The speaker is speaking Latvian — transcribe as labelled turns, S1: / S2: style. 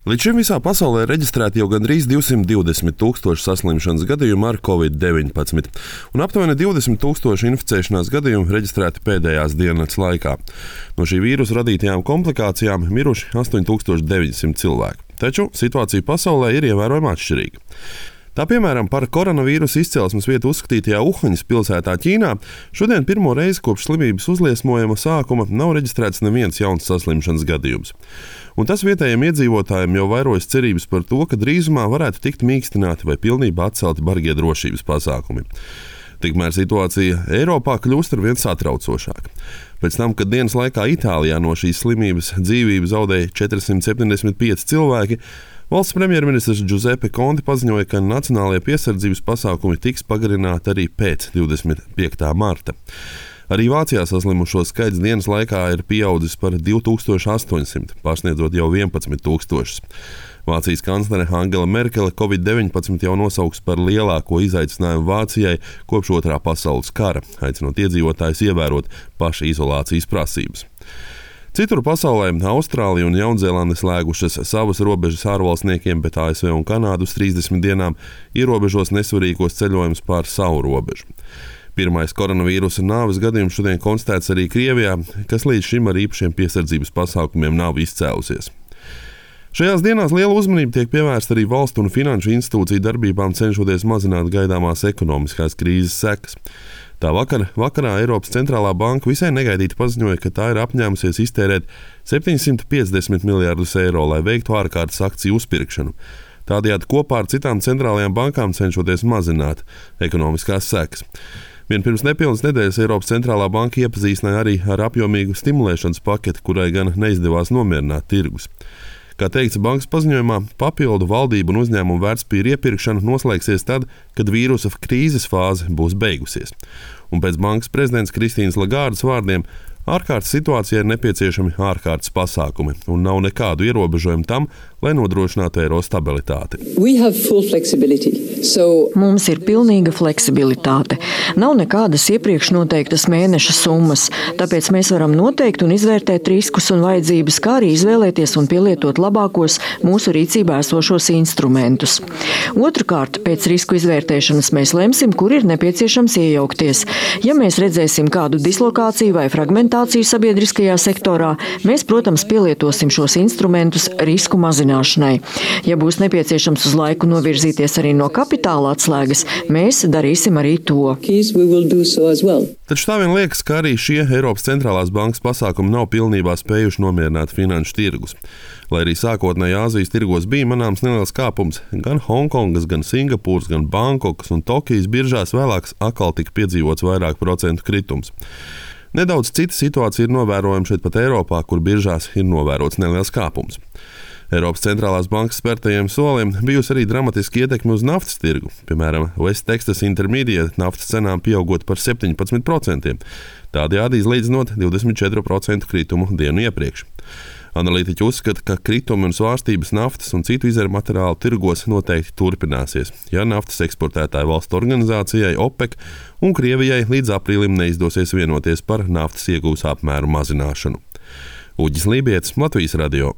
S1: Līdz šim visā pasaulē reģistrēti jau gandrīz 220 tūkstoši saslimšanas gadījumu ar Covid-19, un aptuveni 20 tūkstoši inficēšanās gadījumu reģistrēti pēdējās dienas laikā. No šī vīrusa radītajām komplikācijām miruši 8900 cilvēki, taču situācija pasaulē ir ievērojami atšķirīga. Tā piemēram, par koronavīrusa izcelsmes vietu uzskatītajā Uhaņas pilsētā Ķīnā šodien pirmo reizi kopš slimības uzliesmojuma sākuma nav reģistrēts neviens jauns saslimšanas gadījums. Un tas vietējiem iedzīvotājiem jau vairojas cerības par to, ka drīzumā varētu tikt mīkstināti vai pilnībā atcelti bargie drošības pasākumi. Tikmēr situācija Eiropā kļūst arvien satraucošāka. Pēc tam, kad dienas laikā Itālijā no šīs slimības dzīvību zaudēja 475 cilvēki, valsts premjerministrs Giuseppe Conte paziņoja, ka nacionālajie piesardzības pasākumi tiks pagarināti arī pēc 25. marta. Arī Vācijā saslimušo skaits dienas laikā ir pieaudzis par 2800, pārsniedzot jau 11 000. Vācijas kanclere Angela Merkele Covid-19 jau nosauks par lielāko izaicinājumu Vācijai kopš Otrā pasaules kara, aicinot iedzīvotājus ievērot pašizolācijas prasības. Citur pasaulē Austrālija un Jaunzēlande slēgušas savas robežas ārvalstniekiem, bet ASV un Kanāda uz 30 dienām ierobežos nesvarīgos ceļojumus pār savu robežu. Pirmais koronavīrusa nāves gadījums šodien konstatēts arī Krievijā, kas līdz šim ar īpašiem piesardzības pasākumiem nav izcēlusies. Šajās dienās liela uzmanība tiek pievērsta arī valstu un finanšu institūciju darbībām, cenšoties mazināt gaidāmās ekonomiskās krīzes sekas. Tā vakarā Eiropas centrālā banka visai negaidīti paziņoja, ka tā ir apņēmusies iztērēt 750 miljardus eiro, lai veiktu ārkārtas akciju uzpirkšanu. Tādējādi kopā ar citām centrālajām bankām cenšoties mazināt ekonomiskās sekas. Vien pirms nepilnas nedēļas Eiropas centrālā banka iepazīstināja arī ar apjomīgu stimulēšanas paketi, kurai gan neizdevās nomierināt tirgus. Kā teikts bankas paziņojumā, papildu valdību un uzņēmumu vērtspapīru iepirkšana noslēgsies tad, kad vīrusa krīzes fāze būs beigusies. Un pēc bankas prezidents Kristīnas Lagārdas vārdiem, ārkārtas situācijā ir nepieciešami ārkārtas pasākumi un nav nekādu ierobežojumu tam, lai nodrošinātu eiro stabilitāti.
S2: Mums ir pilnīga fleksibilitāte. Nav nekādas iepriekš noteiktas mēneša summas, tāpēc mēs varam noteikt un izvērtēt riskus un vajadzības, kā arī izvēlēties un pielietot labākos mūsu rīcībā esošos instrumentus. Otrakārt, pēc risku izvērtēšanas mēs lemsim, kur ir nepieciešams iejaukties. Ja mēs redzēsim kādu dislokāciju vai fragmentāciju sabiedriskajā sektorā, mēs, protams, pielietosim šos instrumentus risku mazināšanai. Ja būs nepieciešams uz laiku novirzīties arī no kapitāla atslēgas, mēs darīsim arī to.
S1: Taču tā vien liekas, ka arī šie Eiropas centrālās bankas pasākumi nav pilnībā spējuši nomierināt finanšu tirgus. Lai arī sākotnēji Āzijas tirgos bija manāms neliels kāpums, gan Hongkongas, gan Singapūras, gan Bankokas un Tokijas biržās vēlāk atkal tika piedzīvots vairāk procentu kritums. Nedaudz cita situācija ir novērojama šeit pat Eiropā, kur biržās ir novērots neliels kāpums. Eiropas centrālās bankas spērtajiem soliem bijusi arī dramatiski ietekme uz naftas tirgu. Piemēram, West Texas Intermediate naftas cenām pieaugot par 17%, tādējādi izlīdzinot 24% kritumu dienu iepriekš. Analītiķi uzskata, ka kritumi un svārstības naftas un citu izēru materiālu tirgos noteikti turpināsies, ja naftas eksportētāju valstu organizācijai OPEC un Krievijai līdz aprīlim neizdosies vienoties par naftas iegūs apmēru mazināšanu. Uģis Lībietis, Latvijas radio.